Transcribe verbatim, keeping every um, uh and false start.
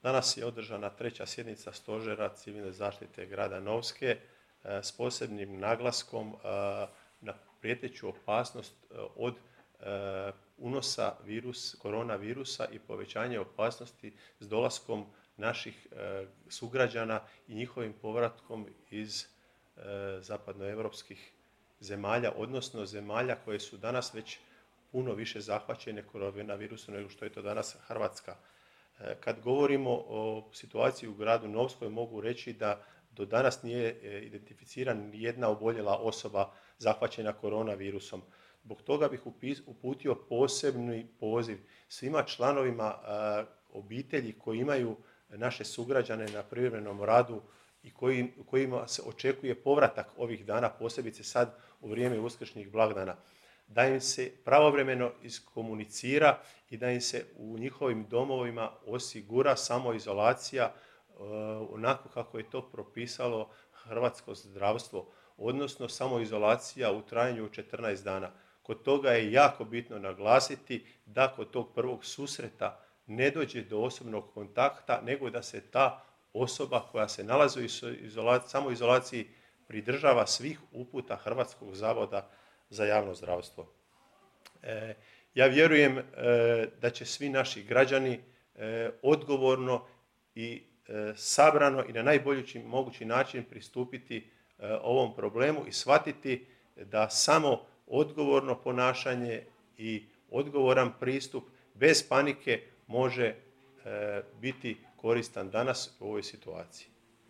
Danas je održana treća sjednica Stožera civilne zaštite grada Novske s posebnim naglaskom na prijeteću opasnost od unosa virus, koronavirusa i povećanje opasnosti s dolaskom naših sugrađana i njihovim povratkom iz zapadnoevropskih zemalja, odnosno zemalja koje su danas već puno više zahvaćene koronavirusom nego što je to danas Hrvatska. Kad govorimo o situaciji u gradu Novskoj, mogu reći da do danas nije identificirana nijedna oboljela osoba zahvaćena koronavirusom. Zbog toga bih uputio posebni poziv svima članovima obitelji koji imaju naše sugrađane na privremenom radu i kojima se očekuje povratak ovih dana, posebice sad u vrijeme uskršnjih blagdana, da im se pravovremeno iskomunicira i da im se u njihovim domovima osigura samoizolacija onako kako je to propisalo hrvatsko zdravstvo, odnosno samoizolacija u trajanju od četrnaest dana. Kod toga je jako bitno naglasiti da kod tog prvog susreta ne dođe do osobnog kontakta, nego da se ta osoba koja se nalazi u samoizolaciji pridržava svih uputa Hrvatskog zavoda za javno zdravstvo. E, ja vjerujem e, da će svi naši građani e, odgovorno i e, sabrano i na najbolji mogući način pristupiti e, ovom problemu i shvatiti da samo odgovorno ponašanje i odgovoran pristup bez panike može e, biti koristan danas u ovoj situaciji.